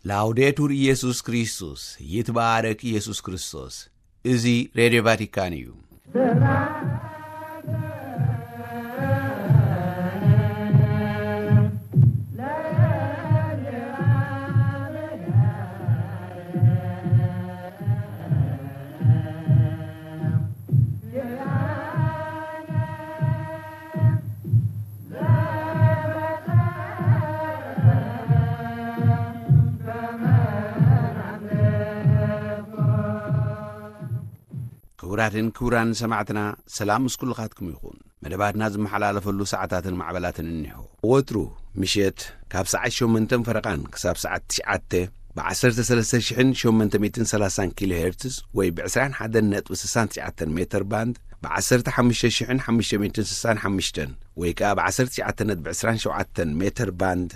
ላውዴቱር ኢየሱስ ክርስቶስ፣ ይትባረክ ኢየሱስ ክርስቶስ። እዚ ሬድዮ ቫቲካን እዩ። ክቡራትን ክቡራን ሰማዕትና፣ ሰላም ምስ ኩልኻትኩም ይኹን። መደባትና ዝመሓላለፈሉ ሰዓታትን ማዕበላትን እኒሆ። ወትሩ ምሸት ካብ ሰዓት ሸሞንተን ፈረቓን ክሳብ ሰዓት ትሽዓተ ብ ዓሰርተ ሰለስተ ሽሕን ሸሞንተ ሚእትን ሰላሳን ኪሎ ሄርትዝ ወይ ብ ዕስራን ሓደን ነጥቢ ስሳን ትሽዓተን ሜተር ባንድ፣ ብ ዓሰርተ ሓሙሽተ ሽሕን ሓሙሽተ ሚእትን ስሳን ሓሙሽተን ወይ ከኣ ብ ዓሰርተ ትሽዓተ ነጥቢ ዕስራን ሸውዓተን ሜተር ባንድ፣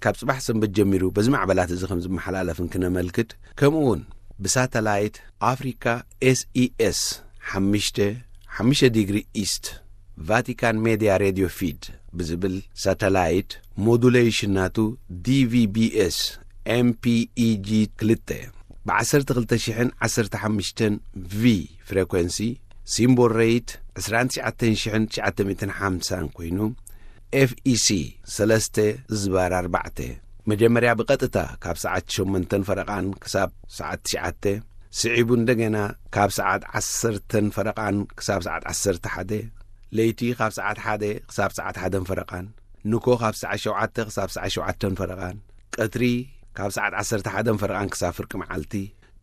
ካብ ጽባሕ ሰንበት ጀሚሩ በዚ ማዕበላት እዚ ከም ዝመሓላለፍን ክነመልክት፣ ከምኡ እውን ብሳተላይት ኣፍሪካ ኤስኢኤስ ሓሙሽተ፣ ሓሙሽተ ዲግሪ ኢስት፣ ቫቲካን ሜድያ ሬድዮ ፊድ ብዝብል ሳተላይት፣ ሞዱሌሽን ናቱ ዲቪቢኤስ ኤምፒኢጂ ክልተ፣ ብ ዓሰርተ ክልተ ሽሕን ዓሰርተ ሓሙሽተን ቪ ፍሬኮንሲ፣ ሲምቦል ሬት ዕስራን ትሽዓተን ሽሕን ትሽዓተ ሚእትን ሓምሳን ኮይኑ፣ ኤፍኢሲ ሰለስተ ዝባር ኣርባዕተ፣ መጀመርያ ብቐጥታ ካብ ሰዓት ሸሞንተን ፈረቓን ክሳብ ሰዓት ትሽዓተ፣ ስዒቡ እንደገና ካብ ሰዓት ዓሰርተን ፈረቓን ክሳብ ሰዓት ዓሰርተ ሓደ፣ ለይቲ ካብ ሰዓት ሓደ ክሳብ ሰዓት ሓደን ፈረቓን፣ ንኮ ካብ ሰዓት ሸውዓተ ክሳብ ሰዓት ሸውዓተን ፈረቓን፣ ቀትሪ ካብ ሰዓት ዓሰርተ ሓደን ፈረቓን ክሳብ ፍርቂ መዓልቲ፣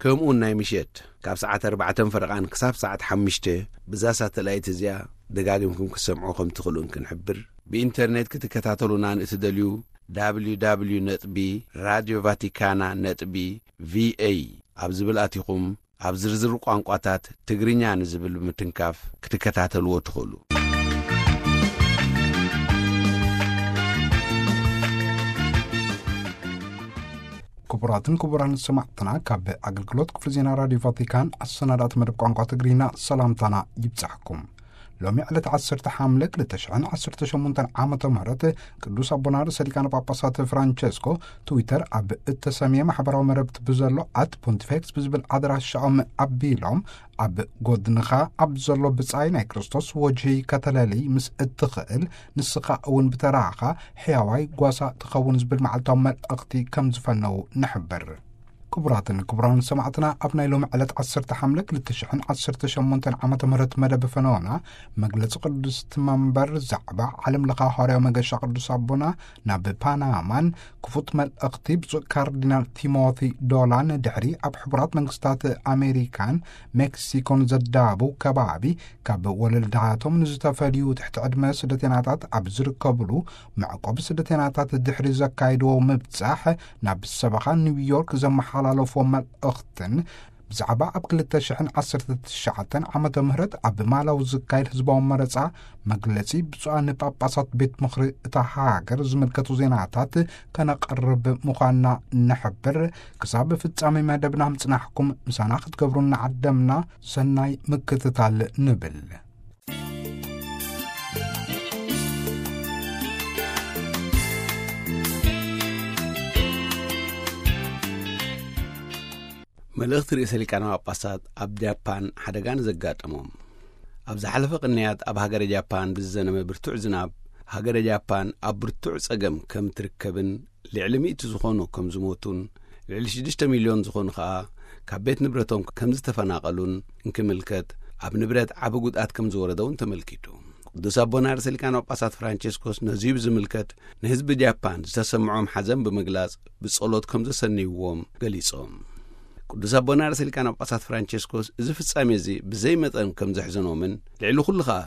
ከምኡውን ናይ ምሸት ካብ ሰዓት ኣርባዕተን ፈረቓን ክሳብ ሰዓት ሓሙሽተ፣ ብዛ ሳተላይት እዚኣ ደጋጊምኩም ክትሰምዑ ከም ትኽእሉን ክንሕብር። ብኢንተርኔት ክትከታተሉና ንእትደልዩ፣ www ነጥቢ ራድዮ ቫቲካና ነጥቢ ቪኤ ኣብ ዝብል ኣቲኹም፣ ኣብ ዝርዝር ቋንቋታት ትግርኛ ንዝብል ብምትንካፍ ክትከታተልዎ ትኽእሉ። ክቡራትን ክቡራን ሰማዕትና፣ ካብ ኣገልግሎት ክፍሊ ዜና ራዲዮ ቫቲካን ኣሰናዳእቲ መደብ ቋንቋ ትግርኛ ሰላምታና ይብጻሕኩም። ሎሚ ዕለት ዓሰርተ ሓምለ ክልተ ሽሕን ዓሰርተ ሸሞንተን ዓመተ ምህረት ቅዱስ ኣቦና ርእሰ ሊቃነ ጳጳሳት ፍራንቸስኮ ትዊተር ኣብ እተሰምየ ማሕበራዊ መረብቲ ብዘሎ ኣት ፖንቲፌክስ ብዝብል ኣድራሻኦም ኣቢሎም፣ ኣብ ጎድንኻ ኣብ ዘሎ ብጻይ ናይ ክርስቶስ ወጅሂ ከተለሊ ምስ እትኽእል፣ ንስኻ እውን ብተራኻ ሕያዋይ ጓሳ ትኸውን ዝብል መዓልታዊ መልእኽቲ ከም ዝፈነዉ ንሕብር። ክቡራትን ክቡራን ሰማዕትና፣ ኣብ ናይ ሎሚ ዕለት ዓሰርተ ሓምለ ክልተ ሽሕን ዓሰርተ ሸሞንተን ዓመተ ምህረት መደብ ፈነወና፣ መግለጺ ቅድስቲ መንበር ዛዕባ ዓለም ለኻ ሃዋርያዊ መገሻ ቅዱስ ኣቦና ናብ ፓናማን ክፉት መልእኽቲ ብፁዕ ካርዲናል ቲሞቲ ዶላን ድሕሪ ኣብ ሕቡራት መንግስታት ኣሜሪካን ሜክሲኮን ዘዳቡ ከባቢ ካብ ወለልዳቶም ንዝተፈልዩ ትሕቲ ዕድመ ስደተናታት ኣብ ዝርከብሉ መዕቆቢ ስደተናታት ድሕሪ ዘካይድዎ ምብጻሕ፣ ናብ ሰበኻ ኒውዮርክ ዘመሓላለፍዎ መልእኽትን ብዛዕባ ኣብ ክልተ ሽሕን ዓሰርተ ትሽዓተን ዓመተ ምህረት ኣብ ማላዊ ዝካየድ ህዝባዊ መረጻ መግለጺ ብፁዓን ጳጳሳት ቤት ምኽሪ እታ ሃገር ዝምልከቱ ዜናታት ከነቕርብ ምዃንና ንሕብር። ክሳብ ፍጻሜ መደብና ምጽናሕኩም ምሳና ክትገብሩ እናዓደምና ሰናይ ምክትታል ንብል። መልእኽቲ ርእሰ ሊቃነ ጳጳሳት ኣብ ጃፓን ሓደጋ ንዘጋጠሞም። ኣብ ዝሓለፈ ቅንያት ኣብ ሃገረ ጃፓን ብዝዘነበ ብርቱዕ ዝናብ፣ ሃገረ ጃፓን ኣብ ብርቱዕ ጸገም ከም ትርከብን ልዕሊ ሚእቲ ዝኾኑ ከም ዝሞቱን ልዕሊ ሽዱሽተ ሚልዮን ዝኾኑ ኸኣ ካብ ቤት ንብረቶም ከም ዝተፈናቐሉን እንክምልከት፣ ኣብ ንብረት ዓቢ ጉድኣት ከም ዝወረደ እውን ተመልኪቱ። ቅዱስ ኣቦና ርእሰ ሊቃነ ጳጳሳት ፍራንቸስኮስ ነዚ ብዝምልከት ንህዝቢ ጃፓን ዝተሰምዖም ሓዘን ብምግላጽ ብጸሎት ከም ዘሰንይዎም ገሊጾም። ቅዱስ ኣቦና ርእሰ ሊቃነ ጳጳሳት ፍራንቸስኮስ እዚ ፍጻሜ እዚ ብዘይ መጠን ከም ዘሕዘኖምን ልዕሊ ኩሉ ኸኣ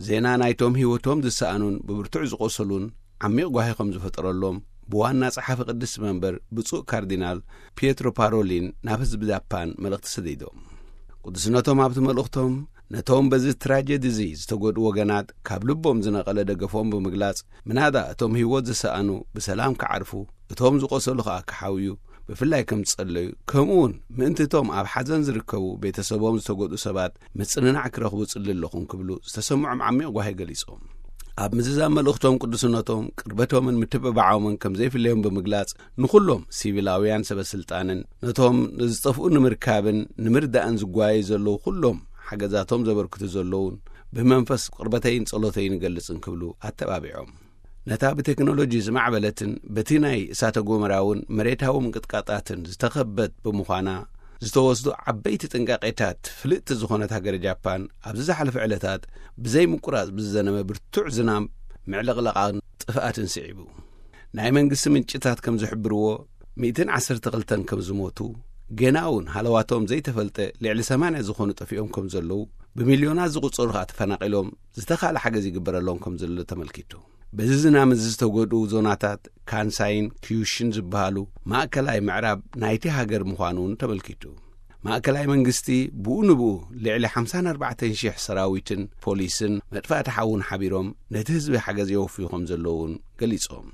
ዜና ናይቶም ህይወቶም ዝሰኣኑን ብብርቱዕ ዝቖሰሉን ዓሚቕ ጓሂ ከም ዝፈጠረሎም ብዋና ጸሓፊ ቅድስቲ መንበር ብፁዕ ካርዲናል ፒየትሮ ፓሮሊን ናብ ህዝቢ ጃፓን መልእኽቲ ሰዲዶም። ቅዱስነቶም ኣብቲ መልእኽቶም ነቶም በዚ ትራጀዲ እዚ ዝተጎድኡ ወገናት ካብ ልቦም ዝነቐለ ደገፎም ብምግላጽ፣ ምናዳ እቶም ህይወት ዝሰኣኑ ብሰላም ክዓርፉ፣ እቶም ዝቖሰሉ ኸኣ ክሓውዩ ብፍላይ ከም ዝጸለዩ፣ ከምኡውን ምእንቲ እቶም ኣብ ሓዘን ዝርከቡ ቤተሰቦም ዝተጎድኡ ሰባት ምጽንናዕ ክረኽቡ ጽሊ ኣለኹም ክብሉ ዝተሰምዖም ዓሚቕ ጓሂ ገሊጾም። ኣብ ምዝዛም መልእኽቶም ቅዱስነቶም ቅርበቶምን ምትብባዖምን ከም ዘይፍለዮም ብምግላጽ፣ ንኹሎም ሲቪላውያን ሰበ ስልጣንን ነቶም ዝጠፍኡ ንምርካብን ንምርዳእን ዝጓዩ ዘለዉ ኩሎም ሓገዛቶም ዘበርክቱ ዘለዉን ብመንፈስ ቅርበተይን ጸሎተይን እገልጽን ክብሉ ኣተባቢዖም። ነታ ብቴክኖሎጂ ዝማዕበለትን በቲ ናይ እሳተ ጎመራውን መሬታዊ ምንቅጥቃጣትን ዝተኸበት ብምዃና፣ ዝተወስዱ ዓበይቲ ጥንቃቄታት ፍልጥቲ ዝኾነት ሃገረ ጃፓን፣ ኣብዚ ዝሓለፈ ዕለታት ብዘይ ምቁራጽ ብዝዘነበ ብርቱዕ ዝናም ምዕልቕላቓን ጥፍኣትን ስዒቡ። ናይ መንግስቲ ምንጭታት ከም ዝሕብርዎ፣ ሚእትን ዓሰርተ ክልተን ከም ዝሞቱ፣ ገና እውን ሃለዋቶም ዘይተፈልጠ ልዕሊ ሰማንያ ዝኾኑ ጠፊኦም ከም ዘለዉ፣ ብሚልዮናት ዝቑጸሩ ከኣ ተፈናቒሎም ዝተኻለ ሓገዝ ይግበረሎም ከም ዘሎ ተመልኪቱ። በዚ ዝናም እዚ ዝተጎድኡ ዞናታት ካንሳይን ኪዩሽን ዝበሃሉ ማእከላይ ምዕራብ ናይቲ ሃገር ምዃኑ እውን ተመልኪቱ። ማእከላይ መንግስቲ ብኡ ንብኡ ልዕሊ ሓምሳን ኣርባዕተን ሽሕ ሰራዊትን ፖሊስን መጥፋእቲ ሓውን ሓቢሮም ነቲ ህዝቢ ሓገዝ የወፍዩ ከም ዘለዉ እውን ገሊጾም።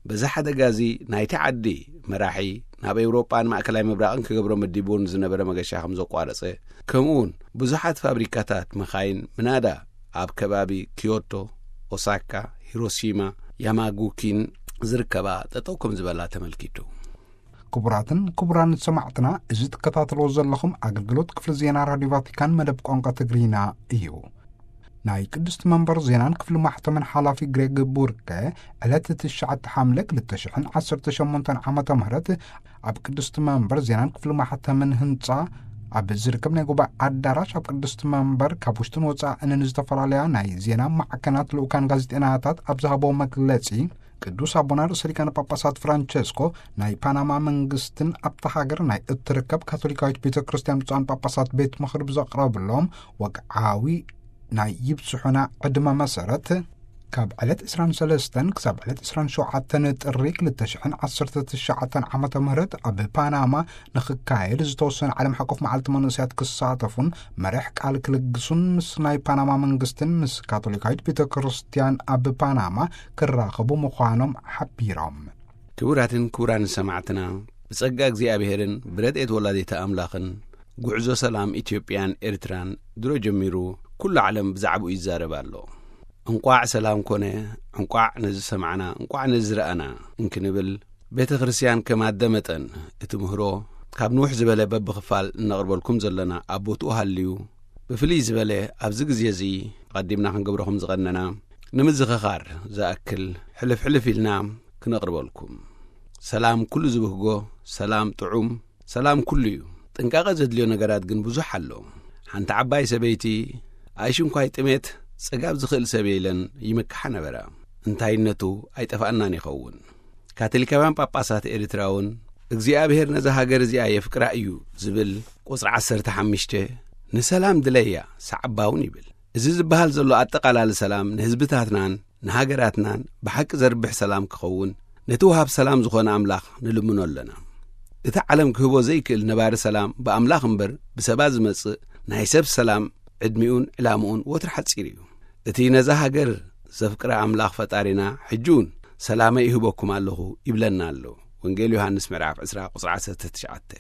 በዚ ሓደጋ እዚ ናይቲ ዓዲ መራሒ ናብ ኤውሮጳን ማእከላይ ምብራቕን ክገብሮ መዲቡ ዝነበረ መገሻ ከም ዘቋረጸ፣ ከምኡውን ብዙሓት ፋብሪካታት መኻይን ምናዳ ኣብ ከባቢ ኪዮቶ፣ ኦሳካ፣ ሂሮሺማ፣ ያማጉኪን ዝርከባ ጠጠው ከም ዝበላ ተመልኪቱ። ክቡራትን ክቡራን ሰማዕትና፣ እዚ ትከታተልዎ ዘለኹም ኣገልግሎት ክፍሊ ዜና ራዲዮ ቫቲካን መደብ ቋንቋ ትግርኛ እዩ። ናይ ቅድስቲ መንበር ዜናን ክፍሊ ማሕተምን ሓላፊ ግሬግ ቡርከ፣ ዕለት ትሽዓተ ሓምለ ክልተ ሽሕን ዓሰርተ ሸሞንተን ዓመተ ምህረት ኣብ ቅድስቲ መንበር ዜናን ክፍሊ ማሕተምን ህንጻ ኣብ ዝርከብ ናይ ጉባኤ ኣዳራሽ፣ ኣብ ቅድስቲ መንበር ካብ ውሽጥን ወጻእን ዝተፈላለያ ናይ ዜና ማዕከናት ልኡካን ጋዜጠናታት ኣብ ዝሃቦ መግለጺ፣ ቅዱስ ኣቦና ርእሰ ሊቃነ ጳጳሳት ፍራንቸስኮ ናይ ፓናማ መንግስትን ኣብታ ሃገር ናይ እትርከብ ካቶሊካዊት ቤተ ክርስቲያን ብፁዓን ጳጳሳት ቤት ምኽሪ ብዘቕረብሎም ወግዓዊ ናይ ይብጽሑና ዕድመ መሰረት፣ ካብ ዕለት ዕስራን ሰለስተን ክሳብ ዕለት ዕስራን ሸውዓተን ጥሪ ክልተ ሽሕን ዓሰርተ ትሽዓተን ዓመተ ምህረት ኣብ ፓናማ ንኽካየድ ዝተወሰነ ዓለም ሓቆፍ መዓልቲ መንእሰያት ክሳተፉን መርሕ ቃል ክልግሱን ምስ ናይ ፓናማ መንግስትን ምስ ካቶሊካዊት ቤተ ክርስቲያን ኣብ ፓናማ ክራኸቡ ምዃኖም ሓቢሮም። ክቡራትን ክቡራን ሰማዕትና፣ ብጸጋ እግዚኣብሔርን ብረድኤት ወላዲተ ኣምላኽን ጉዕዞ ሰላም ኢትዮጵያን ኤርትራን ድሮ ጀሚሩ ኩሉ ዓለም ብዛዕባኡ ይዛረብ ኣሎ። እንቋዕ ሰላም ኮነ፣ እንቋዕ ነዚ ሰማዕና፣ እንቋዕ ነዚ ረኣና እንክንብል፣ ቤተ ክርስቲያን ከም ኣደ መጠን እቲ ምህሮ ካብ ንውሕ ዝበለ በብኽፋል እነቕርበልኩም ዘለና ኣብ ቦትኡ ሃልዩ፣ ብፍልይ ዝበለ ኣብዚ ግዜ እዚ ኣቐዲምና ክንገብሮ ከም ዝቐነና ንምዝኽኻር ዝኣክል ሕልፍ ሕልፍ ኢልና ክነቕርበልኩም። ሰላም ኩሉ ዝብህጎ፣ ሰላም ጥዑም፣ ሰላም ኩሉ እዩ። ጥንቃቐ ዘድልዮ ነገራት ግን ብዙሕ ኣሎ። ሓንቲ ዓባይ ሰበይቲ፣ ኣይሽንኳይ ጥሜት ጸጋብ ዝኽእል ሰብ የለን ይመክሓ ነበራ። እንታይነቱ ኣይጠፍኣናን ይኸውን። ካቶሊካውያን ጳጳሳት ኤርትራ እውን እግዚኣብሔር ነዛ ሃገር እዚኣ የፍቅራ እዩ ዝብል ቁጽሪ ዓሰርተ ሓሙሽተ ንሰላም ድለያ ሰዓባ እውን ይብል። እዚ ዝበሃል ዘሎ ኣጠቓላሊ ሰላም ንህዝብታትናን ንሃገራትናን ብሓቂ ዘርብሕ ሰላም ክኸውን ነቲ ወሃብ ሰላም ዝኾነ ኣምላኽ ንልምኖ ኣለና። እቲ ዓለም ክህቦ ዘይክእል ነባሪ ሰላም ብኣምላኽ እምበር ብሰባት ዝመጽእ ናይ ሰብ ሰላም ዕድሚኡን ዕላምኡን ወትሩ ሓጺር እዩ። እቲ ነዛ ሃገር ዘፍቅረ ኣምላኽ ፈጣሪና ሕጂ እውን ሰላመይ እህበኩም ኣለኹ ይብለና ኣሎ። ወንጌል ዮሃንስ ምዕራፍ ዕስራ ቁጽሪ ዓሰርተ ትሽዓተ።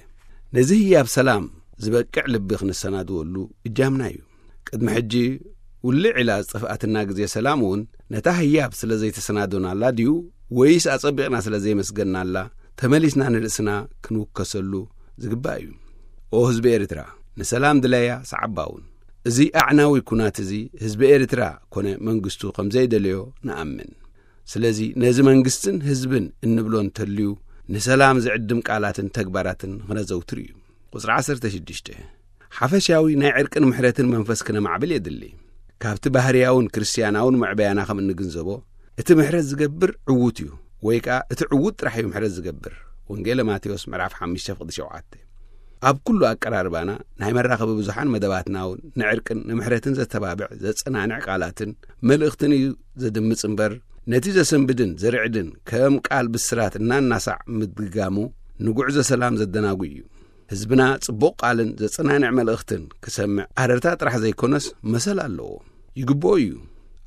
ነዚ ህያብ ሰላም ዝበቅዕ ልቢ ክንሰናድወሉ እጃምና እዩ። ቅድሚ ሕጂ ውልዕ ኢላ ዝጠፍኣትና ግዜ ሰላም እውን ነታ ህያብ ስለ ዘይተሰናዶናላ ድዩ ወይስ ኣጸቢቕና ስለ ዘይመስገናላ ተመሊስና ንርእስና ክንውከሰሉ ዝግባእ እዩ። ኦ ህዝቢ ኤርትራ፣ ንሰላም ድለያ ሰዓባ እውን። እዚ ኣዕናዊ ኩናት እዚ ህዝቢ ኤርትራ ኮነ መንግስቱ ከም ዘይደለዮ ንኣምን። ስለዚ ነዚ መንግስትን ህዝብን እንብሎ እንተልዩ ንሰላም ዝዕድም ቃላትን ተግባራትን ክነዘውትር እዩ። ቁጽሪ ዓሰርተ ሽዱሽተ። ሓፈሻዊ ናይ ዕርቅን ምሕረትን መንፈስ ክነማዕብል የድሊ። ካብቲ ባህርያውን ክርስትያናውን መዕበያና ከም እንግንዘቦ፣ እቲ ምሕረት ዝገብር ዕዉት እዩ፣ ወይ ከኣ እቲ ዕዉት ጥራሕ እዩ ምሕረት ዝገብር። ወንጌለ ማቴዎስ ምዕራፍ ሓሙሽተ ፍቕዲ ሸውዓተ። ኣብ ኩሉ ኣቀራርባና ናይ መራኸቢ ብዙሓን መደባትና እውን ንዕርቅን ንምሕረትን ዘተባብዕ ዘጸናንዕ ቃላትን መልእኽትን እዩ ዘድምጽ እምበር፣ ነቲ ዘሰንብድን ዘርዕድን ከም ቃል ብስራት እናናሳዕ ምድግጋሙ ንጉዕዞ ሰላም ዘደናጉ እዩ። ህዝብና ጽቡቕ ቃልን ዘጸናንዕ መልእኽትን ክሰምዕ ኣረርታ ጥራሕ ዘይኮነስ መሰል ኣለዎ። ይግብኦ እዩ።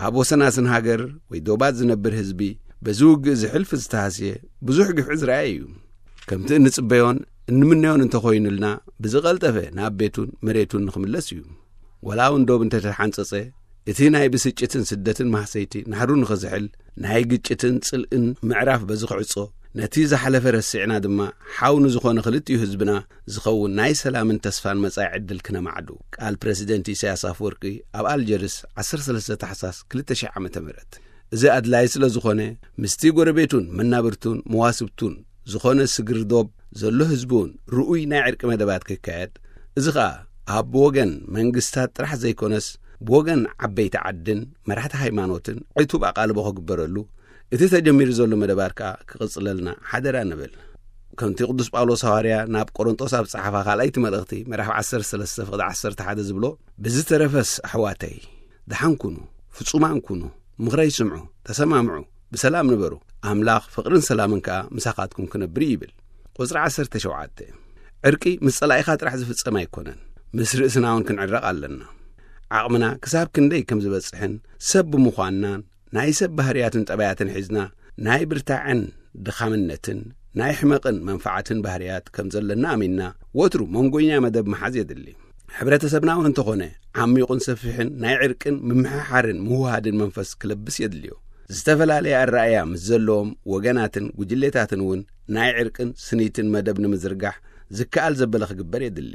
ኣብ ወሰናስን ሃገር ወይ ዶባት ዝነብር ህዝቢ በዚ ውግእ እዚ ሕልፊ ዝተሃስየ ብዙሕ ግፍዒ ዝረኣየ እዩ። ከምቲ እንጽበዮን እንምነዮን እንተኾይኑልና ብዝቐልጠፈ ናብ ቤቱን መሬቱን ንኽምለስ እዩ። ወላ እውን ዶብ እንተተሓንጸጸ እቲ ናይ ብስጭትን ስደትን ማህሰይቲ ናህሩ ንኽዝሕል፣ ናይ ግጭትን ጽልእን ምዕራፍ በዚ ክዕጾ፣ ነቲ ዝሓለፈ ረሲዕና ድማ ሓው ንዝኾነ ክልቲኡ ህዝብና ዝኸውን ናይ ሰላምን ተስፋን መጻኢ ዕድል ክነማዕዱ፣ ቃል ፕረሲደንት ኢሳያስ ኣፈወርቂ ኣብ ኣልጀርስ ዓሰርተ ሰለስተ ታሕሳስ ክልተ ሺሕ ዓመተ ምህረት። እዚ ኣድላይ ስለ ዝኾነ፣ ምስቲ ጎረቤቱን መናብርቱን መዋስብቱን ዝኾነ ስግር ዶብ ዘሎ ህዝቢ እውን ርኡይ ናይ ዕርቂ መደባት ክካየድ፣ እዚ ኸኣ ኣብ ብወገን መንግስታት ጥራሕ ዘይኮነስ፣ ብወገን ዓበይቲ ዓድን መራሕቲ ሃይማኖትን ዕቱብ ኣቓልቦ ክግበረሉ፣ እቲ ተጀሚሩ ዘሎ መደባት ከኣ ክቕጽለልና ሓደራ ንብል። ከምቲ ቅዱስ ጳውሎስ ሃዋርያ ናብ ቆሮንጦስ ኣብ ጸሓፋ ካልኣይቲ መልእኽቲ ምዕራፍ ዓሰርተ ሰለስተ ፍቕዲ ዓሰርተ ሓደ ዝብሎ፣ ብዝተረፈስ ኣሕዋተይ፣ ደሓን ኩኑ፣ ፍጹማን ኩኑ፣ ምኽረይ ስምዑ፣ ተሰማምዑ፣ ብሰላም ንበሩ። ኣምላኽ ፍቕርን ሰላምን ከኣ ምሳኻትኩም ክነብር እዩ ይብል። ቁጽሪ ዓሰርተ ሸውዓተ። ዕርቂ ምስ ጸላኢኻ ጥራሕ ዝፍጸም ኣይኮነን፣ ምስ ርእስና እውን ክንዕረቕ ኣለና። ዓቕምና ክሳብ ክንደይ ከም ዝበጽሕን ሰብ ብምዃንናን ናይ ሰብ ባህርያትን ጠባያትን ሒዝና ናይ ብርታዕን ድኻምነትን ናይ ሕመቕን መንፋዓትን ባህርያት ከም ዘለና ኣሚንና ወትሩ መንጎኛ መደብ መሓዝ የድሊ። ሕብረተሰብና እውን እንተኾነ ዓሚቑን ሰፊሕን ናይ ዕርቅን ምምሕሓርን ምውሃድን መንፈስ ክለብስ የድልዮ። ዝተፈላለየ ኣረኣእያ ምስ ዘለዎም ወገናትን ጉጅሌታትን እውን ናይ ዕርቅን ስኒትን መደብ ንምዝርጋሕ ዝከኣል ዘበለ ክግበር የድሊ።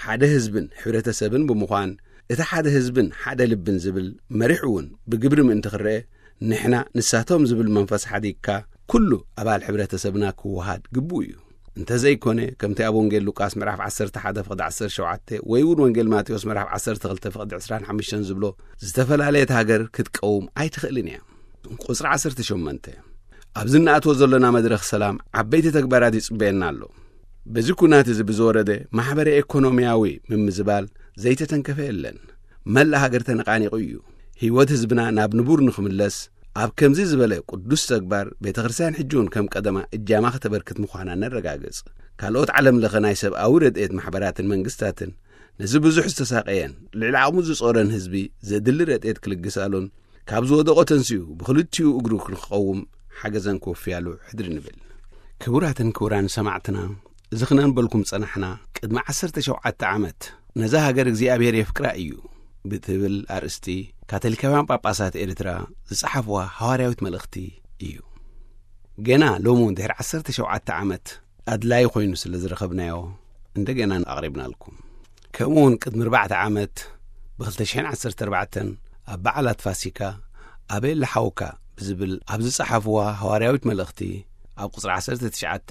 ሓደ ህዝብን ሕብረተሰብን ብምዃን እቲ ሓደ ህዝብን ሓደ ልብን ዝብል መሪሕ እውን ብግብሪ ምእንቲ ክረአ፣ ንሕና ንሳቶም ዝብል መንፈስ ሓዲግካ ኩሉ ኣባል ሕብረተሰብና ክወሃድ ግቡእ እዩ። እንተዘይኮነ፣ ከምቲ ኣብ ወንጌል ሉቃስ ምዕራፍ ዓሰርተ ሓደ ፍቕዲ ዓሰርተ ሸውዓተ ወይ እውን ወንጌል ማቴዎስ ምዕራፍ ዓሰርተ ክልተ ፍቕዲ ዕስራን ሓሙሽተን ዝብሎ፣ ዝተፈላለየት ሃገር ክትቀውም ኣይትኽእልን እያ። ቁጽሪ ዓሰርተ ሸሞንተ። ኣብዚ እንኣትዎ ዘሎና መድረኽ ሰላም ዓበይቲ ተግባራት ይጽበየና ኣሎ። በዚ ኩናት እዚ ብዝወረደ ማሕበረ ኤኮኖሚያዊ ምምዝባል ዘይተተንከፈ የለን። መላእ ሃገር ተነቓኒቑ እዩ። ህይወት ህዝብና ናብ ንቡር ንኽምለስ፣ ኣብ ከምዚ ዝበለ ቅዱስ ተግባር ቤተ ክርስቲያን ሕጂ እውን ከም ቀደማ እጃማ ከተበርክት ምዃና ነረጋግጽ። ካልኦት ዓለም ለኸ ናይ ሰብኣዊ ረድኤት ማሕበራትን መንግስታትን ነዚ ብዙሕ ዝተሳቐየን ልዕሊ ዓቕሙ ዝጾረን ህዝቢ ዘድሊ ረድኤት ክልግሳሉን ካብ ዝወደቖ ተንሲኡ ብኽልቲኡ እግሩ ንክቐውም ሓገዘን ክወፍያሉ ሕድሪ ንብል። ክቡራትን ክቡራን ሰማዕትና፣ እዚ ክነንበልኩም ጸናሕና፣ ቅድሚ ዓሰርተ ሸውዓተ ዓመት ነዛ ሃገር እግዚኣብሔር የፍቅራ እዩ ብትብል ኣርእስቲ ካቶሊካውያን ጳጳሳት ኤርትራ ዝጸሓፍዋ ሃዋርያዊት መልእኽቲ እዩ። ገና ሎሚ እውን ድሕሪ ዓሰርተ ሸውዓተ ዓመት ኣድላዪ ኮይኑ ስለ ዝረኸብናዮ እንደገና ኣቕሪብናልኩም። ከምኡ እውን ቅድሚ ኣርባዕተ ዓመት ብክልተ ሽሕን ዓሰርተ ኣርባዕተን ኣብ በዓላት ፋሲካ ኣበይ ኣለ ሓውካ ብዝብል ኣብ ዝጸሓፍዋ ሃዋርያዊት መልእኽቲ ኣብ ቁጽሪ ዓሰርተ ትሽዓተ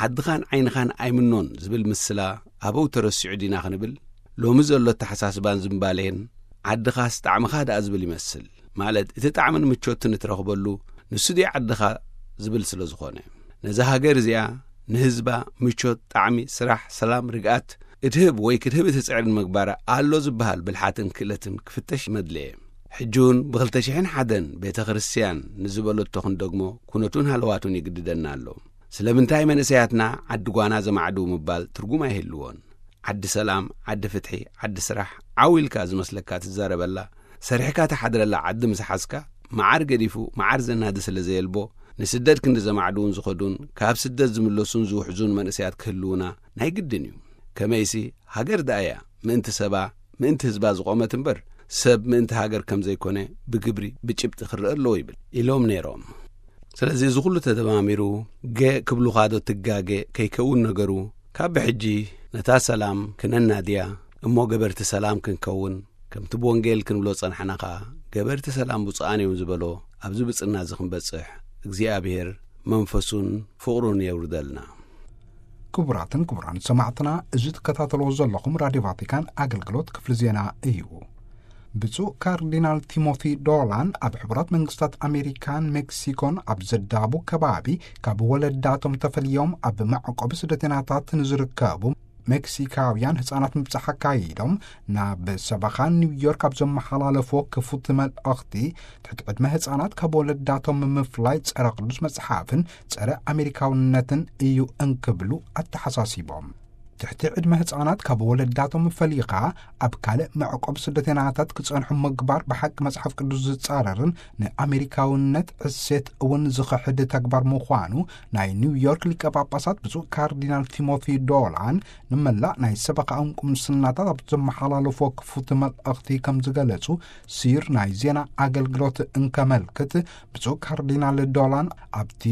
ዓድኻን ዓይንኻን ኣይምኖን ዝብል ምስላ ኣበው ተረሲዑ ዲና ክንብል ሎሚ ዘሎ ኣተሓሳስባን ዝምባሌን ዓድኻስ ጣዕምኻ ደኣ ዝብል ይመስል። ማለት እቲ ጣዕምን ምቾትን እትረኽበሉ ንሱ ድዩ ዓድኻ ዝብል ስለ ዝኾነ። ነዛ ሃገር እዚኣ ንህዝባ ምቾት፣ ጣዕሚ፣ ስራሕ፣ ሰላም፣ ርግኣት እትህብ ወይ ክትህብ እትጽዕርን ምግባራ ኣሎ ዝበሃል ብልሓትን ክእለትን ክፍተሽ መድለየ። ሕጂ እውን ብክልተ ሽሕን ሓደን ቤተ ክርስቲያን ንዝበለቶ ክንደግሞ ኩነቱን ሃለዋቱን ይግድደና ኣሎ። ስለምንታይ መንእሰያትና ዓዲ ጓና ዘማዕድው ምባል ትርጉም ኣይህልዎን። ዓዲ ሰላም፣ ዓዲ ፍትሒ፣ ዓዲ ስራሕ ዓው ኢልካ ዝመስለካ ትዛረበላ፣ ሰሪሕካ ትሓድረላ ዓዲ ምስ ሓዝካ፣ መዓር ገዲፉ መዓር ዘናዲ ስለ ዘየልቦ፣ ንስደት ክንዲ ዘማዕድውን ዝኸዱን ካብ ስደት ዝምለሱን ዝውሕዙን መንእሰያት ክህልውና ናይ ግድን እዩ። ከመይሲ ሃገር ደኣ እያ ምእንቲ ሰባ፣ ምእንቲ ህዝባ ዝቖመት እምበር፣ ሰብ ምእንቲ ሃገር ከም ዘይኮነ ብግብሪ ብጭብጢ ክረአ ኣለዎ ይብል ኢሎም ነይሮም። ስለዚ እዚ ኩሉ ተደማሚሩ ገ ክብሉኻ ዶ ትጋገ ከይከውን ነገሩ፣ ካብ ብሕጂ ነታ ሰላም ክነናድያ እሞ ገበርቲ ሰላም ክንከውን፣ ከምቲ ብወንጌል ክንብሎ ጸናሕና ኸኣ፣ ገበርቲ ሰላም ብፁዓን እዮም ዝበሎ ኣብዚ ብጽና እዚ ክንበጽሕ እግዚኣብሔር መንፈሱን ፍቕሩን የውርደልና። ክቡራትን ክቡራን ሰማዕትና፣ እዚ ትከታተልዎ ዘለኹም ራድዮ ቫቲካን ኣገልግሎት ክፍሊ ዜና እዩ። ብፁዕ ካርዲናል ቲሞቲ ዶላን ኣብ ሕቡራት መንግስታት ኣሜሪካን ሜክሲኮን ኣብ ዘዳቡ ከባቢ ካብ ወለዳቶም ተፈልዮም ኣብ መዕቆቢ ስደተኛታት ንዝርከቡ ሜክሲካውያን ህጻናት ምብጻሕ ኣካይዶም፣ ናብ ሰበኻ ኒውዮርክ ኣብ ዘመሓላለፎ ክፉት መልእኽቲ፣ ትሕቲ ዕድመ ህጻናት ካብ ወለዳቶም ምፍላይ ጸረ ቅዱስ መጽሓፍን ጸረ ኣሜሪካውነትን እዩ እንክብሉ ኣተሓሳሲቦም። ትሕቲ ዕድመ ህፃናት ካብ ወለዳቶም ፈሊኻ ኣብ ካልእ መዕቆብ ስደተናታት ክፀንሑ ምግባር ብሓቂ መፅሓፍ ቅዱስ ዝፃረርን ንኣሜሪካውነት እሴት እውን ዝኽሕድ ተግባር ምዃኑ ናይ ኒውዮርክ ሊቀ ጳጳሳት ብፁዕ ካርዲናል ቲሞቲ ዶላን ንመላእ ናይ ሰበኻኦም ቁምስናታት ኣብ ዘመሓላለፎ ክፉት መልእኽቲ ከም ዝገለጹ ሲር ናይ ዜና ኣገልግሎት እንከመልክት፣ ብፁዕ ካርዲናል ዶላን ኣብቲ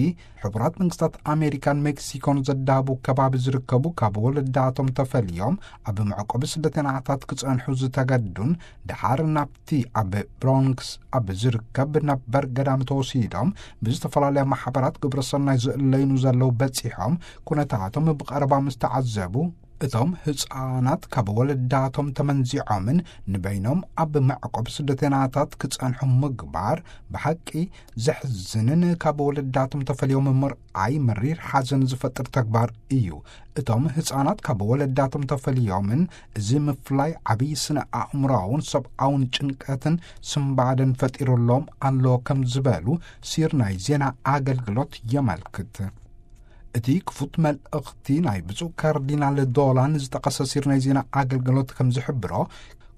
ሕቡራት መንግስታት ኣሜሪካን ሜክሲኮን ዘዳቡ ከባቢ ዝርከቡ ካብ ወለዳቶም ተፈልዮም ኣብ መዕቆቢ ስደተናታት ክጸንሑ ዝተገዱን ደሓር ናብቲ ኣብ ብሮንክስ ኣብ ዝርከብ ነበር ገዳም ተወሲዶም ብዝተፈላለያ ማሕበራት ግብረሰናይ ዝእለይኑ ዘለዉ በጺሖም ኩነታቶም ብቐረባ ምስ ተዓዘቡ፣ እቶም ህፃናት ካብ ወለዳቶም ተመንዚዖምን ንበይኖም ኣብ መዕቆብ ስደተናታት ክጸንሑ ምግባር ብሓቂ ዘሕዝንን ካብ ወለዳቶም ተፈልዮም ምርኣይ መሪር ሓዘን ዝፈጥር ተግባር እዩ። እቶም ህፃናት ካብ ወለዳቶም ተፈልዮምን እዚ ምፍላይ ዓብዪ ስነ ኣእምሮኣውን ሰብኣውን ጭንቀትን ስንባደን ፈጢሩሎም ኣሎ ከም ዝበሉ ሲር ናይ ዜና ኣገልግሎት የመልክት። እቲ ክፉት መልእኽቲ ናይ ብፁዕ ካርዲናል ዶላን ዝጠቐሰ ሲር ናይ ዜና ኣገልግሎት ከም ዝሕብሮ፣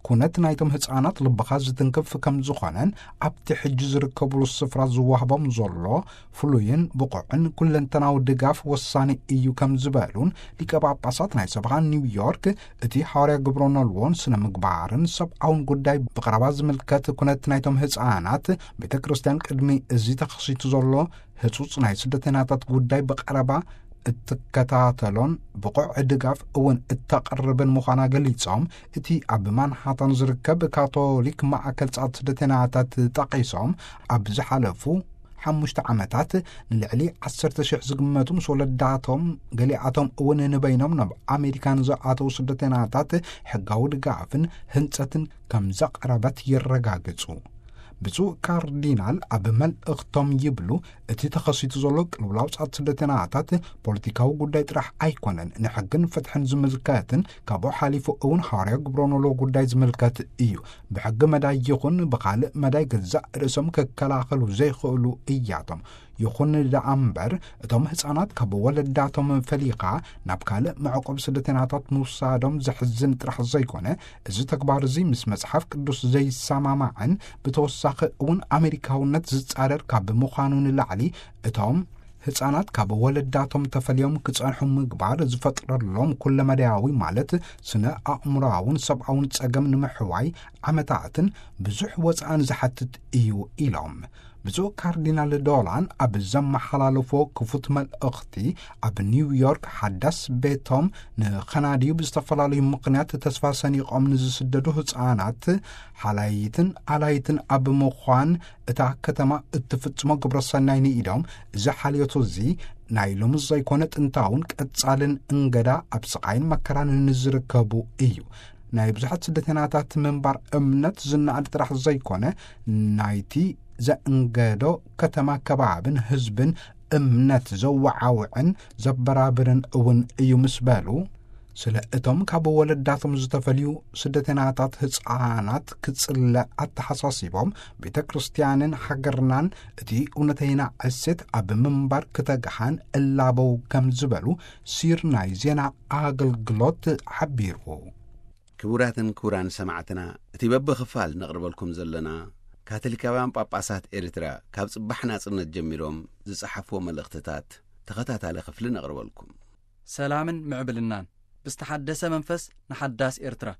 ኩነት ናይቶም ህፃናት ልብኻ ዝትንክፍ ከም ዝኾነን ኣብቲ ሕጂ ዝርከብሉ ስፍራ ዝዋህቦም ዘሎ ፍሉይን ብቑዕን ኩለንተናዊ ድጋፍ ወሳኒ እዩ ከም ዝበሉን ሊቀ ጳጳሳት ናይ ሰበኻ ኒውዮርክ እቲ ሃዋርያ ግብረ ኖልዎን ስነ ምግባርን ሰብኣውን ጉዳይ ብቐረባ ዝምልከት ኩነት ናይቶም ህፃናት ቤተ ክርስቲያን ቅድሚ እዚ ተኸሲቱ ዘሎ ህጹጽ ናይ ስደተኛታት ጉዳይ ብቐረባ እትከታተሎን ብቑዕ ድጋፍ እውን እተቕርብን ምዃና ገሊጾም፣ እቲ ኣብ ማንሃታን ዝርከብ ካቶሊክ ማእከል ጻት ስደተኛታት ጠቒሶም፣ ኣብ ዝሓለፉ ሓሙሽተ ዓመታት ንልዕሊ ዓሰርተ ሽሕ ዝግመቱ ምስ ወለዳቶም፣ ገሊኣቶም እውን ንበይኖም ናብ ኣሜሪካ ንዝኣተዉ ስደተኛታት ሕጋዊ ድጋፍን ህንጸትን ከም ዘቕረበት የረጋግጹ። ብፁዕ ካርዲናል ኣብ መልእኽቶም ይብሉ፣ እቲ ተኸሲቱ ዘሎ ቅልውላው ጻት ስደተኛታት ፖለቲካዊ ጉዳይ ጥራሕ ኣይኮነን፣ ንሕግን ፍትሕን ዝምልከትን ካብኡ ሓሊፉ እውን ሃዋርያ ግብረ ኖሎ ጉዳይ ዝምልከት እዩ። ብሕጊ መዳይ ይኹን ብኻልእ መዳይ ገዛእ ርእሶም ክከላኸሉ ዘይኽእሉ እያቶም። ይኹን ደኣ እምበር፣ እቶም ህፃናት ካብ ወለዳቶም ፈሊኻ ናብ ካልእ መዕቆብ ስደተኛታት ምውሳዶም ዘሕዝን ጥራሕ ዘይኮነ፣ እዚ ተግባር እዚ ምስ መጽሓፍ ቅዱስ ዘይሰማማዕን ብተወሳኺ እውን ኣሜሪካውነት ዝጻረር ካብ ምዃኑ ንላዕሊ፣ እቶም ህፃናት ካብ ወለዳቶም ተፈልዮም ክጸንሑ ምግባር ዝፈጥረሎም ኩለመዳያዊ ማለት ስነ ኣእምሮኣውን ሰብኣውን ጸገም ንምሕዋይ ዓመታትን ብዙሕ ወጻእን ዝሓትት እዩ ኢሎም። ብፁዕ ካርዲናል ዶላን ኣብ ዘመሓላለፎ ክፉት መልእኽቲ፣ ኣብ ኒውዮርክ ሓዳስ ቤቶም ንኸናድዩ ብዝተፈላለዩ ምኽንያት ተስፋ ሰኒቖም ንዝስደዱ ህፃናት ሓላይትን ኣላይትን ኣብ ምዃን እታ ከተማ እትፍጽሞ ግብረ ሰናይ ንኢዶም፣ እዚ ሓልዮት እዚ ናይ ሎሚ ዘይኮነ ጥንታውን ቀጻልን እንገዳ ኣብ ስቓይን መከራን ንዝርከቡ እዩ። ናይ ብዙሓት ስደተኛታት ምንባር እምነት ዝነኣድ ጥራሕ ዘይኮነ፣ ናይቲ ዘእንገዶ ከተማ ከባብን ህዝብን እምነት ዘወዓውዕን ዘበራብርን እውን እዩ ምስ በሉ፣ ስለ እቶም ካብ ወለዳቶም ዝተፈልዩ ስደተኛታት ህፃናት ክጽለ ኣተሓሳሲቦም፣ ቤተ ክርስቲያንን ሃገርናን እቲ እውነተይና ዕሴት ኣብ ምንባር ክተግሃን እላበው ከም ዝበሉ ሲር ናይ ዜና ኣገልግሎት ሓቢሩ። ክቡራትን ክቡራን ሰማዕትና፣ እቲ በብኽፋል ነቕርበልኩም ዘለና ካቶሊካውያን ጳጳሳት ኤርትራ ካብ ጽባሕ ናጽነት ጀሚሮም ዝጸሓፍዎ መልእኽትታት ተኸታታሊ ክፍሊ ነቕርበልኩም። ሰላምን ምዕብልናን ብዝተሓደሰ መንፈስ ንሓዳስ ኤርትራ።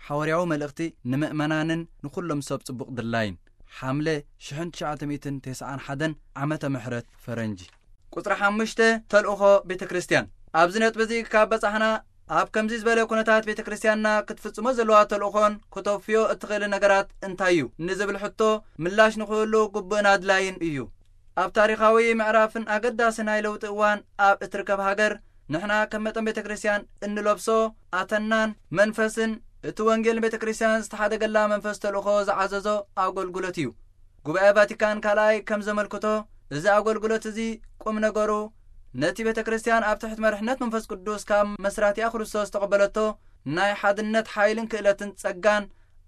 ሓዋርያዊ መልእኽቲ ንምእመናንን ንኹሎም ሰብ ጽቡቕ ድላይን። ሓምለ ሽሕን ትሽዓተ ሚእትን ተስዓን ሓደን ዓመተ ምሕረት ፈረንጂ። ቁጽሪ ሓሙሽተ፣ ተልእኾ ቤተ ክርስቲያን። ኣብዚ ነጥቢ እዚ ካብ በጻሕና፣ ኣብ ከምዚ ዝበለ ኩነታት ቤተ ክርስቲያንና ክትፍጽሞ ዘለዋ ተልእኾን ክተውፍዮ እትኽእል ነገራት እንታይ እዩ ንዝብል ሕቶ ምላሽ ንኽህሉ ግቡእን ኣድላይን እዩ። ኣብ ታሪኻዊ ምዕራፍን ኣገዳሲ ናይ ለውጢ እዋን ኣብ እትርከብ ሃገር፣ ንሕና ከም መጠን ቤተ ክርስቲያን እንለብሶ ኣተናን መንፈስን እቲ ወንጌል ቤተ ክርስቲያን ዝተሓደገላ መንፈስ ተልእኾ ዝዓዘዞ ኣገልግሎት እዩ። ጉባኤ ቫቲካን ካልኣይ ከም ዘመልክቶ፣ እዚ ኣገልግሎት እዚ ቁም ነገሩ ነቲ ቤተ ክርስቲያን ኣብ ትሕቲ መርሕነት መንፈስ ቅዱስ ካብ መስራቲኣ ክርስቶስ ዝተቐበለቶ ናይ ሓድነት ሓይልን ክእለትን ጸጋን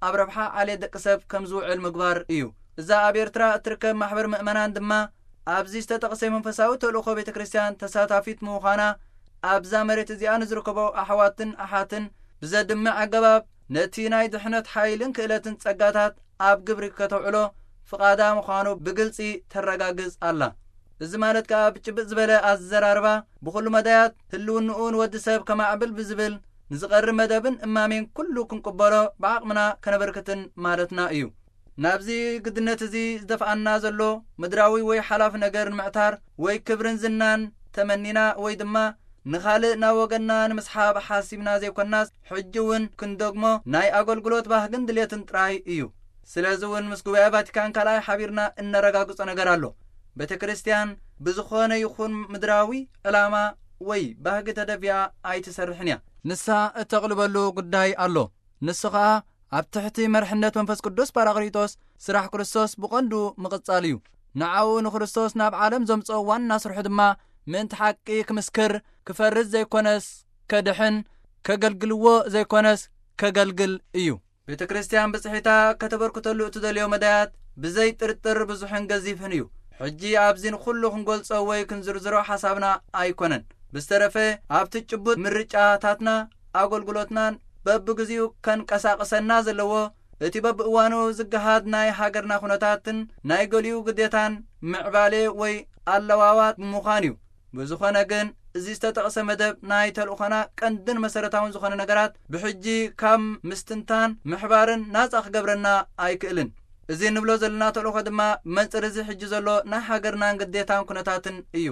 ኣብ ረብሓ ዓሌት ደቂ ሰብ ከም ዝውዕል ምግባር እዩ። እዛ ኣብ ኤርትራ እትርከብ ማሕበር ምእመናን ድማ ኣብዚ ዝተጠቕሰ መንፈሳዊ ተልእኾ ቤተ ክርስቲያን ተሳታፊት ምዃና ኣብዛ መሬት እዚኣ ንዝርከቦ ኣሕዋትን ኣሓትን ብዘድምዕ ኣገባብ ነቲ ናይ ድሕነት ሓይልን ክእለትን ጸጋታት ኣብ ግብሪ ከተውዕሎ ፍቓዳ ምዃኑ ብግልጺ ተረጋግጽ ኣላ። እዚ ማለት ከኣ ብጭብጥ ዝበለ ኣዘራርባ ብኹሉ መዳያት ህልውንኡ ንወዲ ሰብ ከማዕብል ብዝብል ንዝቐርብ መደብን እማሜን ኩሉ ክንቅበሎ ብዓቕምና ከነበርክትን ማለትና እዩ። ናብዚ ግድነት እዚ ዝደፍኣና ዘሎ ምድራዊ ወይ ሓላፍ ነገር ንምዕታር ወይ ክብርን ዝናን ተመኒና ወይ ድማ ንኻልእ ናብ ወገንና ንምስሓብ ሓሲብና ዘይኮናስ ሕጂ እውን ክንደግሞ ናይ ኣገልግሎት ባህግን ድሌትን ጥራይ እዩ። ስለዚ እውን ምስ ጉባኤ ቫቲካን ካልኣይ ሓቢርና እነረጋግጾ ነገር ኣሎ። ቤተ ክርስቲያን ብዝኾነ ይኹን ምድራዊ ዕላማ ወይ ባህጊ ተደፊኣ ኣይትሰርሕን እያ። ንሳ እተቕልበሉ ጉዳይ ኣሎ። ንሱ ኸኣ ኣብ ትሕቲ መርሕነት መንፈስ ቅዱስ ጳራቅሊጦስ ስራሕ ክርስቶስ ብቐንዱ ምቕጻል እዩ። ንዓኡ ንክርስቶስ ናብ ዓለም ዘምጽኦ ዋና ስርሑ ድማ ምእንቲ ሓቂ ክምስክር፣ ክፈርድ ዘይኮነስ ከድሕን፣ ከገልግልዎ ዘይኮነስ ከገልግል እዩ። ቤተ ክርስቲያን ብጽሒታ ከተበርክተሉ እትደልዮ መዳያት ብዘይ ጥርጥር ብዙሕን ገዚፍን እዩ። ሕጂ ኣብዚ ንኹሉ ክንገልጾ ወይ ክንዝርዝሮ ሓሳብና ኣይኮነን። ብዝተረፈ ኣብቲ ጭቡጥ ምርጫታትና ኣገልግሎትናን በብግዚኡ ከንቀሳቕሰና ዘለዎ እቲ በብእዋኑ ዝገሃድ ናይ ሃገርና ኩነታትን ናይ ገሊኡ ግዴታን ምዕባሌ ወይ ኣለዋዋት ብምዃን እዩ። ብዝኾነ ግን እዚ ዝተጠቕሰ መደብ ናይ ተልእኾና ቀንድን መሰረታውን ዝኾነ ነገራት ብሕጂ ካብ ምስትንታን ምሕባርን ናጻ ክገብረና ኣይክእልን። እዚ ንብሎ ዘለና ተልእኾ ድማ መንጽር እዚ ሕጂ ዘሎ ናይ ሃገርናን ግዴታን ኩነታትን እዩ።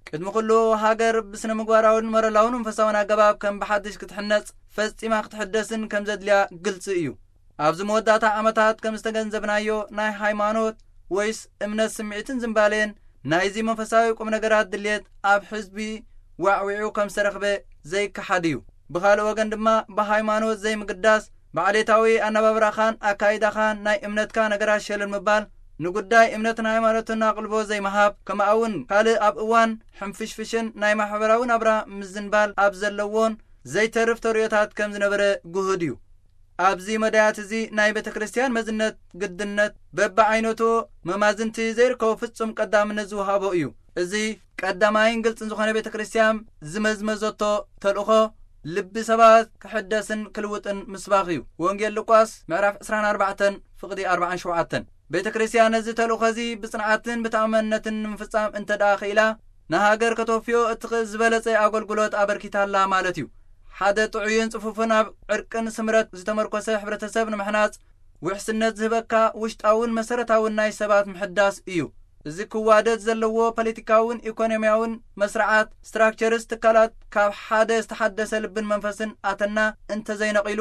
ቅድሚ ኩሉ ሃገር ብስነ ምግባራውን መረላውን መንፈሳውን ኣገባብ ከም ብሓድሽ ክትሕነጽ ፈጺማ ክትሕደስን ከም ዘድልያ ግልጺ እዩ። ኣብዚ መወዳእታ ዓመታት ከም ዝተገንዘብናዮ ናይ ሃይማኖት ወይስ እምነት ስምዒትን ዝንባሌን ናይዚ መንፈሳዊ ቁም ነገራት ድልየት ኣብ ሕዝቢ ዋዕዊዑ ከም ዝተረኽበ ዘይከሓድ እዩ። ብኻልእ ወገን ድማ ብሃይማኖት ዘይምግዳስ ብዓሌታዊ ኣነባብራኻን ኣካይዳኻን ናይ እምነትካ ነገራት ሸለል ምባል ንጉዳይ እምነትን ሃይማኖትን ኣቕልቦ ዘይምሃብ ከምኣውን ካልእ ኣብ እዋን ሕንፍሽፍሽን ናይ ማሕበራዊ ናብራ ምዝንባል ኣብ ዘለዎን ዘይተርፍ ተርእዮታት ከም ዝነበረ ግሁድ እዩ። ኣብዚ መዳያት እዚ ናይ ቤተ ክርስቲያን መዝነት ግድነት በብዓይነቱ መማዝንቲ ዘይርከቦ ፍጹም ቀዳምነት ዝወሃቦ እዩ። እዚ ቀዳማይን ግልጽን ዝኾነ ቤተ ክርስቲያን ዝመዝመዘቶ ተልእኾ ልቢ ሰባት ክሕደስን ክልውጥን ምስባኽ እዩ። ወንጌል ሉቃስ ምዕራፍ ዕስራን ኣርባዕተን ፍቕዲ ኣርባዓን ሸውዓተን። ቤተ ክርስቲያን ነዚ ተልእኾ እዚ ብጽንዓትን ብተኣማንነትን ንምፍጻም እንተ ደኣ ኽኢላ ንሃገር ከተወፍዮ እትኽእል ዝበለጸ ኣገልግሎት ኣበርኪታላ ማለት እዩ። ሓደ ጥዑይን ጽፉፍን ኣብ ዕርቅን ስምረት ዝተመርኮሰ ሕብረተሰብ ንምሕናጽ ውሕስነት ዝህበካ ውሽጣውን መሰረታውን ናይ ሰባት ምሕዳስ እዩ። እዚ ክዋደድ ዘለዎ ፖለቲካውን ኢኮኖሚያውን መስርዓት ስትራክቸርስ ትካላት ካብ ሓደ ዝተሓደሰ ልብን መንፈስን ኣተና እንተዘይነቒሉ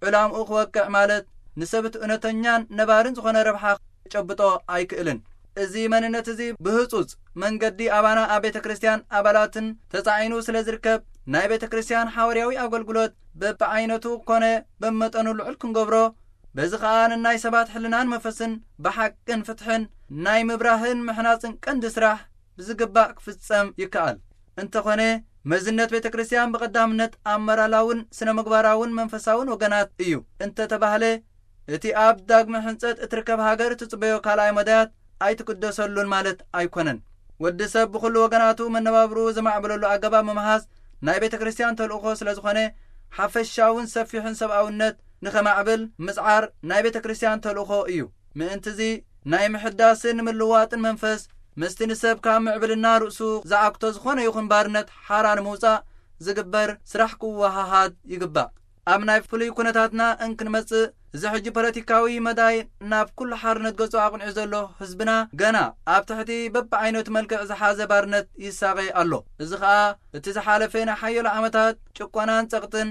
ዕላምኡ ክወቅዕ ማለት ንሰብ እቲ እውነተኛን ነባርን ዝኾነ ረብሓ ክጨብጦ ኣይክእልን። እዚ መንነት እዚ ብህጹጽ መንገዲ ኣባና ኣብ ቤተ ክርስቲያን ኣባላትን ተጻዒኑ ስለ ዝርከብ ናይ ቤተ ክርስቲያን ሓዋርያዊ ኣገልግሎት በብዓይነቱ ኮነ በመጠኑ ልዑል ክንገብሮ በዚ ኸኣ ንናይ ሰባት ሕልናን መንፈስን ብሓቅን ፍትሕን ናይ ምብራህን ምሕናጽን ቀንዲ ስራሕ ብዝግባእ ክፍጸም ይከኣል። እንተኾነ መዝነት ቤተ ክርስቲያን ብቐዳምነት ኣብ መራላውን ስነ ምግባራውን መንፈሳውን ወገናት እዩ እንተተባህለ እቲ ኣብ ዳግመ ሕንጸት እትርከብ ሃገር እትጽበዮ ካልኣይ መዳያት ኣይትግደሰሉን ማለት ኣይኮነን። ወዲ ሰብ ብኹሉ ወገናቱ መነባብርኡ ዘማዕብለሉ ኣገባብ ምምሃዝ ናይ ቤተ ክርስቲያን ተልእኾ ስለ ዝኾነ ሓፈሻውን ሰፊሕን ሰብኣውነት ንኸማዕብል ምጽዓር ናይ ቤተ ክርስቲያን ተልእኾ እዩ። ምእንትዚ ናይ ምሕዳስን ምልዋጥን መንፈስ ምስቲ ንሰብ ካብ ምዕብልና ርእሱ ዝዓግቶ ዝኾነ ይኹን ባርነት ሓራ ንምውጻእ ዝግበር ስራሕ ክወሃሃድ ይግባእ። ኣብ ናይ ፍሉይ ኩነታትና እንክንመጽእ እዚ ሕጂ ፖለቲካዊ መዳይ ናብ ኩሉ ሓርነት ገጹ ኣቕኒዑ ዘሎ ህዝብና ገና ኣብ ትሕቲ በብዓይነቱ መልክዕ ዝሓዘ ባርነት ይሳቐ ኣሎ። እዚ ኸኣ እቲ ዝሓለፈ ናይ ሓየሎ ዓመታት ጭቆናን ጸቕጥን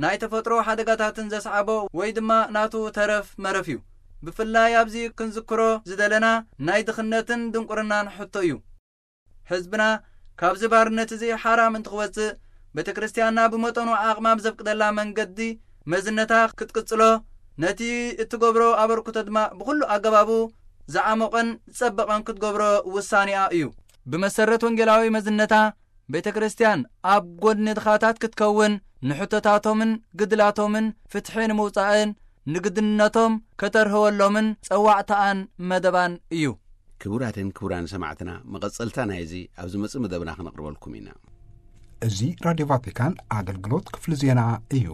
ናይ ተፈጥሮ ሓደጋታትን ዘስዓቦ ወይ ድማ ናቱ ተረፍ መረፍ እዩ። ብፍላይ ኣብዚ ክንዝክሮ ዝደለና ናይ ድኽነትን ድንቁርናን ሕቶ እዩ። ህዝብና ካብዚ ባርነት እዚ ሓራ ምእንቲ ክወጽእ ቤተ ክርስቲያንና ብመጠኑ ዓቕማ ብዘፍቅደላ መንገዲ መዝነታ ክትቅጽሎ ነቲ እትገብሮ ኣበርክቶ ድማ ብኹሉ ኣገባቡ ዝዓሞቐን ዝጸበቐን ክትገብሮ ውሳኔኣ እዩ። ብመሰረት ወንጌላዊ መዝነታ ቤተ ክርስቲያን ኣብ ጎድኒ ድኻታት ክትከውን ንሕቶታቶምን ግድላቶምን ፍትሒ ንምውጻእን ንግድነቶም ከተርህወሎምን ጸዋዕታኣን መደባን እዩ። ክቡራትን ክቡራን ሰማዕትና መቐጸልታ ናይዚ ኣብ ዝመጽእ መደብና ክነቕርበልኩም ኢና። እዚ ራድዮ ቫቲካን ኣገልግሎት ክፍሊ ዜና እዩ።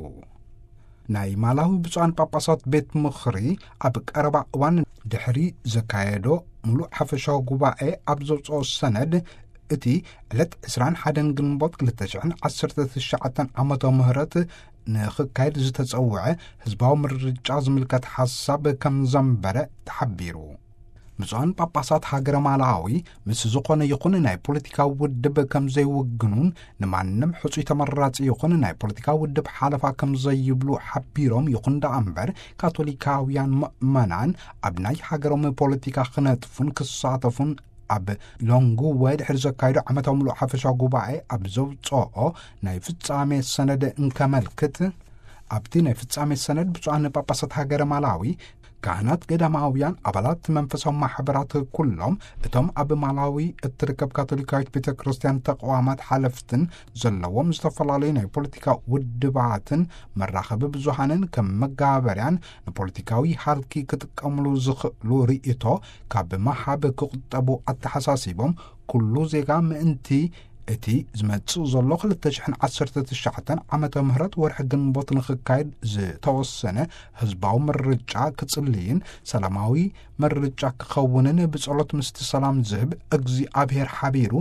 ናይ ማላዊ ብፁዓን ጳጳሳት ቤት ምኽሪ ኣብ ቀረባ እዋን ድሕሪ ዘካየዶ ምሉእ ሓፈሻዊ ጉባኤ ኣብ ዘውፅኦ ሰነድ፣ እቲ ዕለት ዕስራን ሓደን ግንቦት ክልተ ሽሕን ዓሰርተ ትሽዓተን ዓመተ ምህረት ንኽካየድ ዝተጸውዐ ህዝባዊ ምርጫ ዝምልከት ሓሳብ ከም ዘንበረ ተሓቢሩ። ብፁዓን ጳጳሳት ሃገረ ማላዊ ምስ ዝኾነ ይኹን ናይ ፖለቲካዊ ውድብ ከም ዘይውግኑን፣ ንማንም ሕጹይ ተመራጺ ይኹን ናይ ፖለቲካዊ ውድብ ሓለፋ ከም ዘይብሉ ሓቢሮም፣ ይኹን ደኣ እምበር ካቶሊካውያን ምእመናን ኣብ ናይ ሃገሮም ፖለቲካ ክነጥፉን ክሳተፉን ኣብ ሎንግወ ድሕሪ ዘካየዶ ዓመታዊ ምሉእ ሓፈሻዊ ጉባኤ ኣብ ዘውፅኦ ናይ ፍጻሜ ሰነድ እንከመልክት፣ ኣብቲ ናይ ፍጻሜ ሰነድ ብፁዓን ጳጳሳት ሃገረ ማላዊ፣ ካህናት ገዳማውያን፣ ኣባላት መንፈሳዊ ማሕበራት ኩሎም፣ እቶም ኣብ ማላዊ እትርከብ ካቶሊካዊት ቤተ ክርስቲያን ተቋማት ሓለፍትን ዘለዎም ዝተፈላለዩ ናይ ፖለቲካ ውድባትን መራኸቢ ብዙሃንን ከም መጋበርያን ንፖለቲካዊ ሃልኪ ክጥቀምሉ ዝኽእሉ ርእይቶ ካብ መሃብ ክቑጠቡ ኣተሓሳሲቦም፣ ኩሉ ዜጋ ምእንቲ እቲ ዝመጽእ ዘሎ ክልተ ሽሕን ዓሰርተ ትሽዓተን ዓመተ ምህረት ወርሒ ግንቦት ንኽካየድ ዝተወሰነ ህዝባዊ ምርጫ ክጽልይን ሰላማዊ ምርጫ ክኸውንን ብጸሎት ምስቲ ሰላም ዝህብ እግዚኣብሔር ሓቢሩ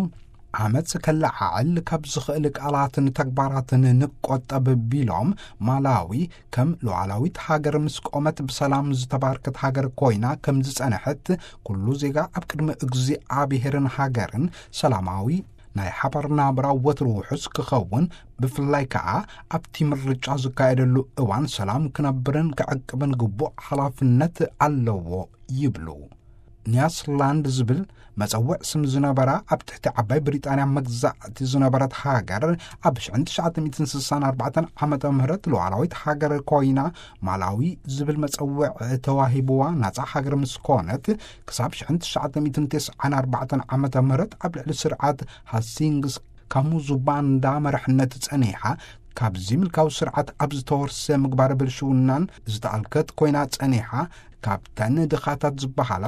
ዓመጽ ከለዓዕል ካብ ዝኽእል ቃላትን ተግባራትን ንቆጠብ ቢሎም፣ ማላዊ ከም ሉዓላዊት ሃገር ምስ ቆመት ብሰላም ዝተባርከት ሃገር ኮይና ከም ዝጸንሐት፣ ኩሉ ዜጋ ኣብ ቅድሚ እግዚኣብሔርን ሃገርን ሰላማዊ ናይ ሓባር ናብራ ወትሩ ውሑስ ክኸውን፣ ብፍላይ ከኣ ኣብቲ ምርጫ ዝካየደሉ እዋን ሰላም ክነብርን ክዕቅብን ግቡእ ሓላፍነት ኣለዎ ይብሉ። ኒያስላንድ ዝብል መጸውዕ ስም ዝነበራ፣ ኣብ ትሕቲ ዓባይ ብሪጣንያ መግዛእቲ ዝነበረት ሃገር፣ ኣብ ሽሕን ትሽዓተ ሚእትን ስሳን ኣርባዕተን ዓመተ ምህረት ሉዓላዊት ሃገር ኮይና፣ ማላዊ ዝብል መጸውዕ ተዋሂብዋ ናጻ ሃገር ምስ ኮነት፣ ክሳብ ሽሕን ትሽዓተ ሚእትን ተስዓን ኣርባዕተን ዓመተ ምህረት ኣብ ልዕሊ ስርዓት ሃሲንግስ ካሙዙባንዳ መራሕነት ጸኒሓ፣ ካብዚ ምልካዊ ስርዓት ኣብ ዝተወርሰ ምግባር ብልሽውናን ዝተኣልከት ኮይና ጸኒሓ፣ ካብተን ድኻታት ዝበሃላ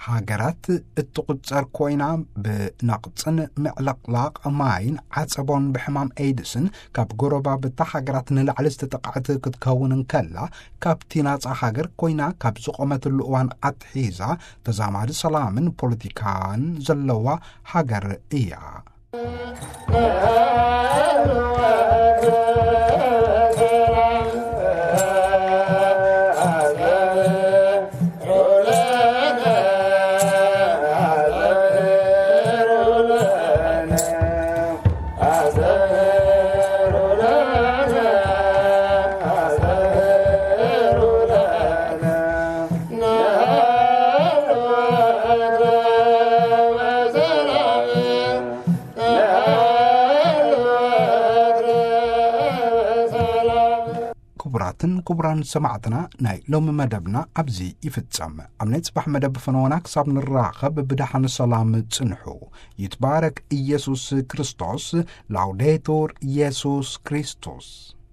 ሃገራት እትቑጸር ኮይና፣ ብነቕጽን ምዕልቕላቕ ማይን ዓጸቦን ብሕማም ኤድስን ካብ ጎረባብታ ሃገራት ንላዕሊ ዝተጠቕዐት ክትከውን እንከላ፣ ካብቲ ናጻ ሃገር ኮይና ካብ ዝቖመትሉ እዋን ኣትሒዛ ተዛማዲ ሰላምን ፖለቲካን ዘለዋ ሃገር እያ። ክቡራትን ክቡራን ሰማዕትና፣ ናይ ሎሚ መደብና ኣብዚ ይፍጸም። ኣብ ናይ ጽባሕ መደብ ፈነወና ክሳብ ንራኸብ ብደሓን ሰላም ጽንሑ። ይትባረክ ኢየሱስ ክርስቶስ። ላውዴቱር ኢየሱስ ክርስቶስ።